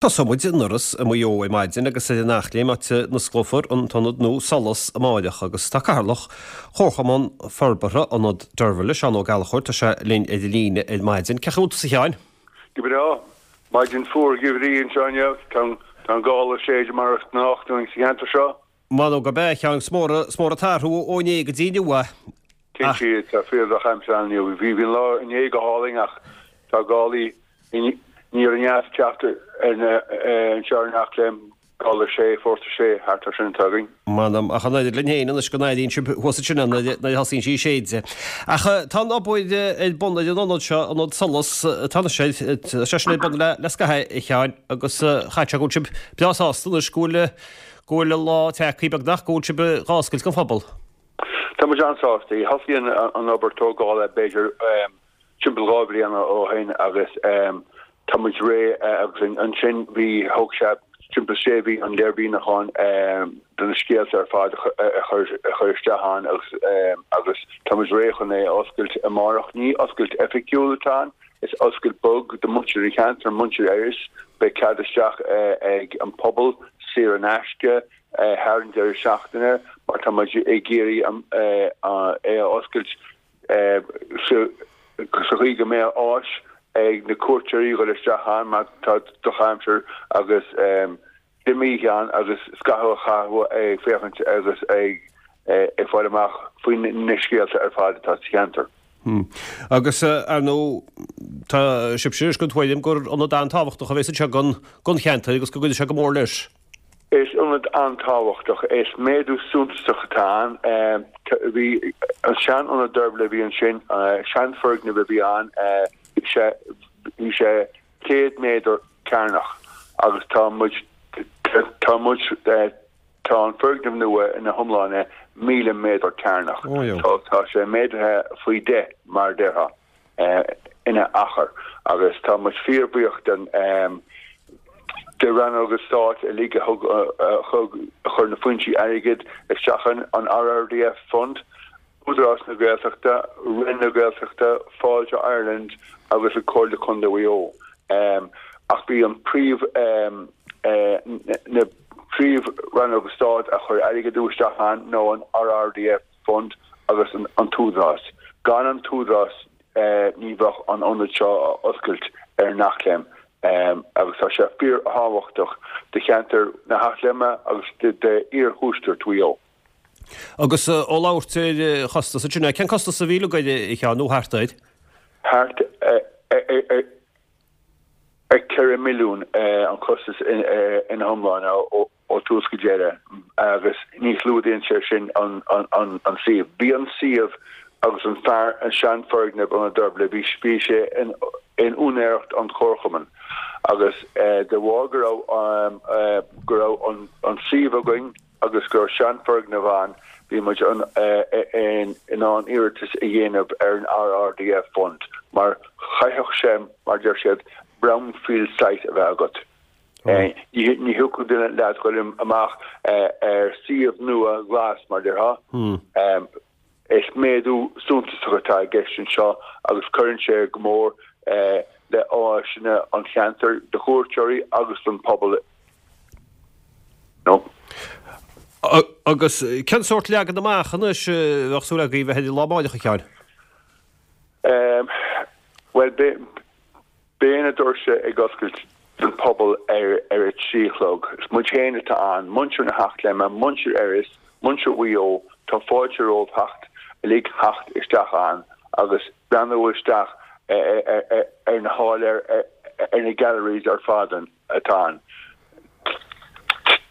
Tosóidh muid in Iorras i Maigh Eo ar maidin agus ar an Eachléim áit a n-osclófar an t-ionad nua Solas amáireach agus tá Cathaoirleach Chomharchumann Forbartha Ionad Deirbhile, Seán Ó Gallchóir, tá sé linn ar an líne ar maidin. Cén chaoi a bhfuil tusa a Sheáin? Go breá. Maidin fuar gheimhridh anseo inniu. Tá an gála ag séideadh mar is gnách dúinn sa cheantar seo. M'anam gurb ea, a Sheáin, is mór, is mór an t-athrú ó inné go dtí inniu é. Cinnte, tá fíor-dhrochaimsir ann inniu. Bhí an lá inné go hálainn ach tá gálaí aniar aneas ag teacht anseo ar an Eachléim, gála 6, fórsa 6, thart ar sin atá againn. M'anam, ach an oiread linn féin anois go n-airíonn sibh thuas ansin é nuair a thosaíonn sí ag séideadh. Ach tá an obair ar bun ar an ionad seo, ionad Solas, tá sé sin ar bun le scaitheamh, a Sheáin, agus chaithfeadh sé go bhfuil sibh breá sásta anois go bhfuil go bhfuil an lá tagtha beagnach, go bhfuil sibh dhá oscailt don phobal. Tá muid an-sásta. Thosaigh an obair tógála b'fhéidir timpeall 2 bhliana ó shin agus tá muid réidh agus ansin bhí, thóg sé timpeall sé mhí an léirmhíniúchán de na scéalta ar fad a chur isteach ann agus agus tá muid réidh chun é a oscailt amárach. Ní oscailt oifigiúil atá ann, is oscailt bog do muintir an cheantair, muintir Iorrais. Beidh cead isteach ag an pobal saor in aisce thar an deireadh seachtaine mar tá muid ag iarraidh é a oscailt sa chaoi go mbeadh áis ag na cuairteoirí dhul isteach ann má tá drochaimsir agus dime ann agus scaitheamh a chaitheamh ag féachaint agus ag fáil amach faoi na scéalta ar fad atá sa cheantar. Agus, ar ndóigh, tá sibhse anois den tuairim gur ionad an-tábhachtach a bheas anseo don cheantar agus go gcuideoidh sé go mór leis. Is ionad an-tábhachtach é. Is méadú suntasach atá ann. Bhí an sean-ionad Deirbhile a bhí ansin, seanfhoirgneamh a bhí ann, bhí sé bhí sé 100 méadar cearnach agus tá muid tá muid tá an foirgneamh nua ina hiomláine 1,000 méadar cearnach. Tá sé méadaithe faoi 10 mar a déarfá. ina achar agus tá muid fíorbhuíoch den de rannóga stáit uilig a thug a chuir na foinsí airgid isteach in an RRDF Fund, Údarás na Gaeltachta, Roinn na Gaeltachta, Fáilte Ireland agus an Comhairle Contae Mhaigh Eo. Ach bhí an príomh na príomh rannóga stáit a chuir airgead isteach ann nó an RRDF Fund agus an tÚdarás. Gan an tÚdarás ní bheadh an ionad seo á oscailt ar an Eachléim agus tá sé fíorthábhachtach do cheantar na hEachléime agus d'iarthuaisceart Mhaigh Eo. Agus ó labhairt ar chostas ansin, cén costas a bhí uilig air, a Sheáin, nó thart air? Thart ar 4 milliún an costas ina hiomláine ó ó thús go deireadh agus ní chlúdaíonn sé sin an suíomh. Bhí an suíomh agus an fear an seanfhoirgneamh Ionad Deirbhile, bhí bhí sé in in úinéireacht an Chomharchumainn agus de bharr go raibh go raibh an an suíomh againn agus go raibh seanfhoirgneamh ann bhí muid in in ann iarratas a dhéanamh ar an RRDF Fund mar chaithfeadh sé mar deir siad brownfield site a bheith agat. Ní thiocfadh duine leat dhul amach ar suíomh nua glas, mar déarfá. Is méadú suntasach atá i gceist anseo agus cuireann sé go mór le áiseanna an cheantair do chuairteoirí agus don phobal. Agus cén sórt leagan amach anois a bheadh súil agaibh a bheith air an lá amáireach, a Sheáin? Bhuel, Beidh na doirse ag oscailt don phobal ar a 3 a chlog. Is muid féin atá ann, muintir na hEachléime, muintir Iorrais, muintir Mhaigh Eo, tá fáilte romhaibh theacht uilig theacht isteach ann agus breathnú isteach ar na háiléir, ar na galleries ar fad atá ann.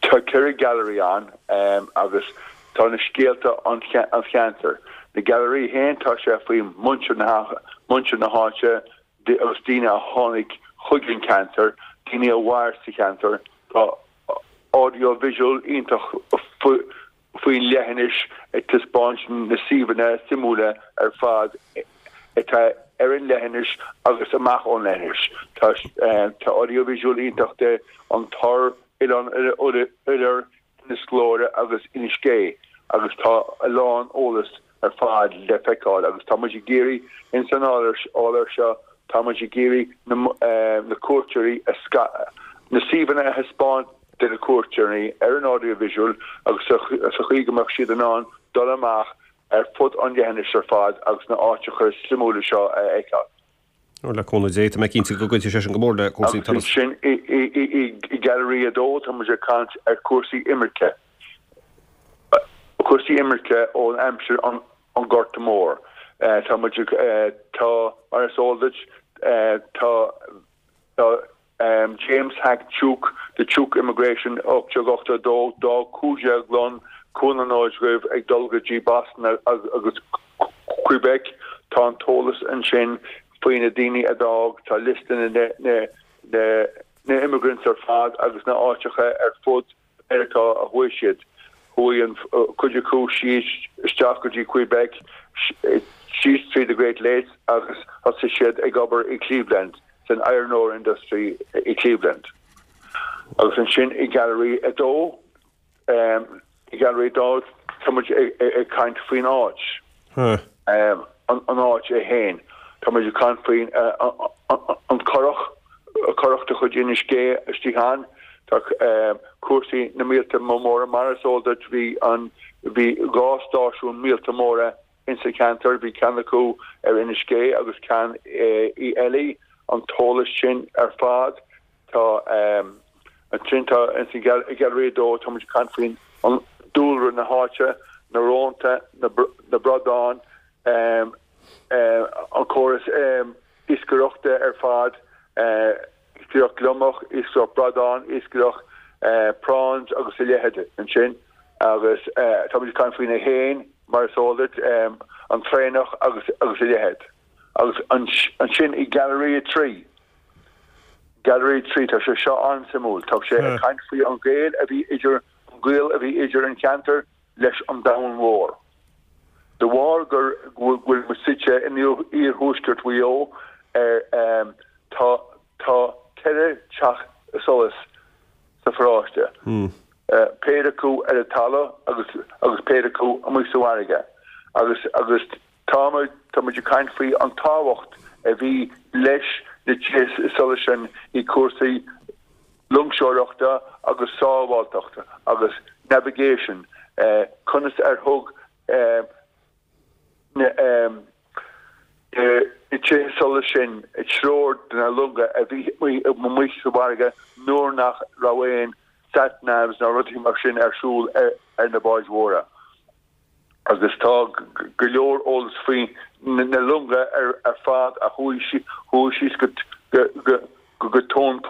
Tá 4 gallery ann agus tá na scéalta an cheantair. Na gailearaí féin tá sé faoi muintir na háite, agus daoine a tháinig chuig an ceantar, daoine a mhair sa cheantar. Tá audio visual iontach faoin leithinis ag taispeáint na suíomhanna suimiúla ar fad atá ar an leithinis agus amach ón leithinis. Tá audio visual iontach de An Tor, Oileán Oilir, Inis Gluaire agus Inis Gé agus tá a lán eolas ar fad le feiceáil agus tá muid ag iarraidh ins an áiléar seo, tá muid ag iarraidh na cuairteoirí a. Na suíomhanna a thaispeáint do na cuairteoirí ar an audiovisual agus sa chaoi go mbeadh siad in ann dul amach ar fud an leithinis ar fad agus na áiteacha suimiúla seo a fheiceáil. Ó, le cúnamh Dé, tá mé cinnte go gcuirfidh sé sin go mór le cúrsaí turas. Agus ansin i Gailearaí 2 tá muid ag caint ar chúrsaí imirce, cúrsaí imirce ón aimsir an Ghorta Mhóir. Tá muid ag, tá, mar is eol duit, tá, tá, James Hack Tuke, The Tuke Immigration, 1882, D'fhág 15 long Cuan na nÓid Dhuibh ag dul go dtí Boston agus Quebec. Tá an t-eolas ansin faoi na daoine a d'fhág, tá liosta na na immigrants ar fad agus na áiteacha ar fud Mheiriceá a chuaigh siad. Chuaigh an cuid acu síos isteach go dtí Quebec, síos trí the Great Lakes agus thosaigh siad ag obair i Cleveland, san iron ore industry i Cleveland. Agus ansin i Gallery 2, i Gallery 2 tá muid ag caint faoin áit. An áit é féin. Tá muid ag caint faoin an curach, curach de chuid Inis Gé istigh ann. Tá cúrsaí na míolta móra mar is eol duit bhí an bhí 2 stáisiún míolta móra insa cheantar, bhí ceann acu ar Inis Gé agus ceann i Eilí. An t-eolas sin ar fad. Tá ansin tá ins an Gailearaí 2 tá muid ag caint faoin an dúlra na háite, na rónta, na bradáin, an córas iascaireachta ar fad, iascaireacht gliomach, iascaireacht bradán, iascaireacht prawns agus a leithéid ansin. Agus tá muid ag caint faoi na héin, mar is eol duit, an traonach agus a leithéid. Agus ansin i Gailearaí 3, Gallery 3, tá sé seo an-suimiúil. Tá sé ag caint faoi an gaol a bhí idir, an gaol a bhí idir an cheantar leis an domhan mhór. De bharr gur, go bhfuil muid suite in iarthuaisceart Mhaigh Eo, ar, tá, tá 4 teach solais sa pharóiste. Péire acu ar an talamh agus, agus péire acu amuigh sa bhfarraige. Agus, agus Tá tá muid ag caint faoi an tábhacht a bhí leis na tithe solais sin i cúrsaí loingseoireachta agus sábháilteachta agus navigation, conas ar thug na tithe solais sin treoir do na longa a bhí amuigh sa bhfarraige nuair nach raibh aon sat navs ná rudaí mar sin ar siúl ar na báid mhóra. agus tá go leor eolas faoi na longa ar fad a chuaigh síos go tóin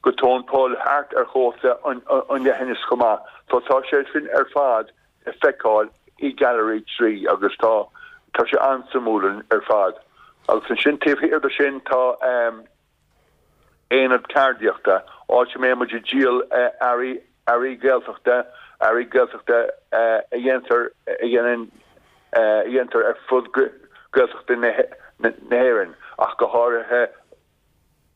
go tóin poill thart ar chósta an leithinis chomh maith. So tá sé sin ar fad le feiceáil i Gallery 3 agus tá tá sé an-suimiúil ar fad. Agus ansin taobh thiar de sin tá. aonad ceardaíochta, áit a mbeidh muid ag díol earraí, earraí Gaeltachta, earraí Gaeltachta a dhéantar, a dhéanann, a dhéantar ar fud Gaeltachta na hÉireann ach go háirithe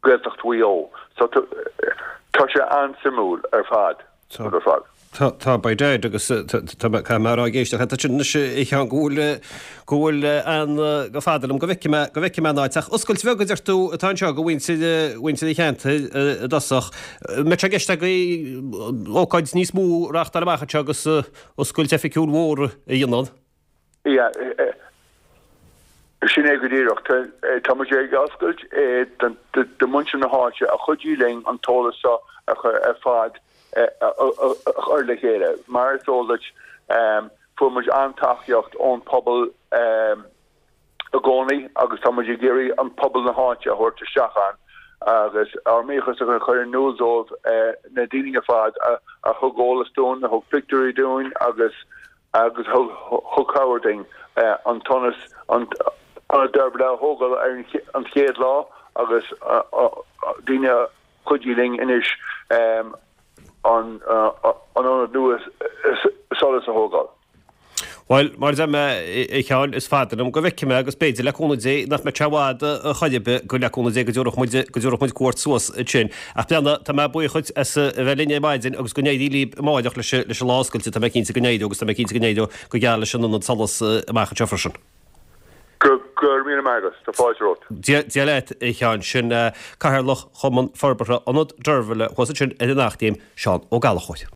Gaeltacht Mhaigh Eo. So tá sé an-suimiúil ar fad, ar fad. Tá, tá, by dad, agus tá mé, caithfidh mé a rá ag éisteacht leat ansin anois a Sheáin go bhfuil, go bhfuil an, gur fada liom go bhfeicfidh mé, go bhfeicfidh mé an áit. Ach oscailt bheag a deir tú atá anseo do mhuintir, mhuintir an cheantair i dtosach. An mbeidh sé i gceist agaibh ócáid níos mó a reáchtáil amach anseo agus oscailt oifigiúil mhór a dhéanamh? Yeah, sin é go díreach. Tá muid ag oscailt do mhuintir na háite a chuidigh linn an t-eolas seo a chur ar fad a chur le chéile. Mar is eol duit, fuair muid an-tacaíocht ón pobal i gcónaí agus tá muid ag iarraidh an pobal na háite a thabhairt isteach ann agus ár mbuíochas a chur in iúl dóibh, na daoine ar fad a thug eolas dúinn, a thug pictiúirí dúinn agus agus thug cabhair dúinn an t-ionad, an Ionad Deirbhile a thógáil ar an chéad lá agus daoine a chuidigh linn anois an ionad nua solais a thógáil. Bhuel, mar a deir mé, a Sheáin, is fada liom go bhfeicfidh mé agus b'fhéidir, le cúnamh Dé, nach mbeidh sé i bhfad chor ar bith go, le cúnamh Dé, go dtabharfadh muid, go dtabharfadh muid cuairt suas ansin. Ach breathnaigh, tá mé buíoch dhuit as a bheith linn ar maidin agus go n-éirí libh amáireach leis leis an lá oscailte, tá mé cinnte go n-éireoidh agus tá mé cinnte go n-éireoidh go geal leis an ionad solais amach anseo freisin. Go. Go raibh míle maith agat. Tá fáilte romhat. Dia leat, a Sheáin. Sin Cathaoirleach Chumann Forbartha Ionad Deirbhile thuas ansin ar an Eachléim, Seán Ó Gallchóir.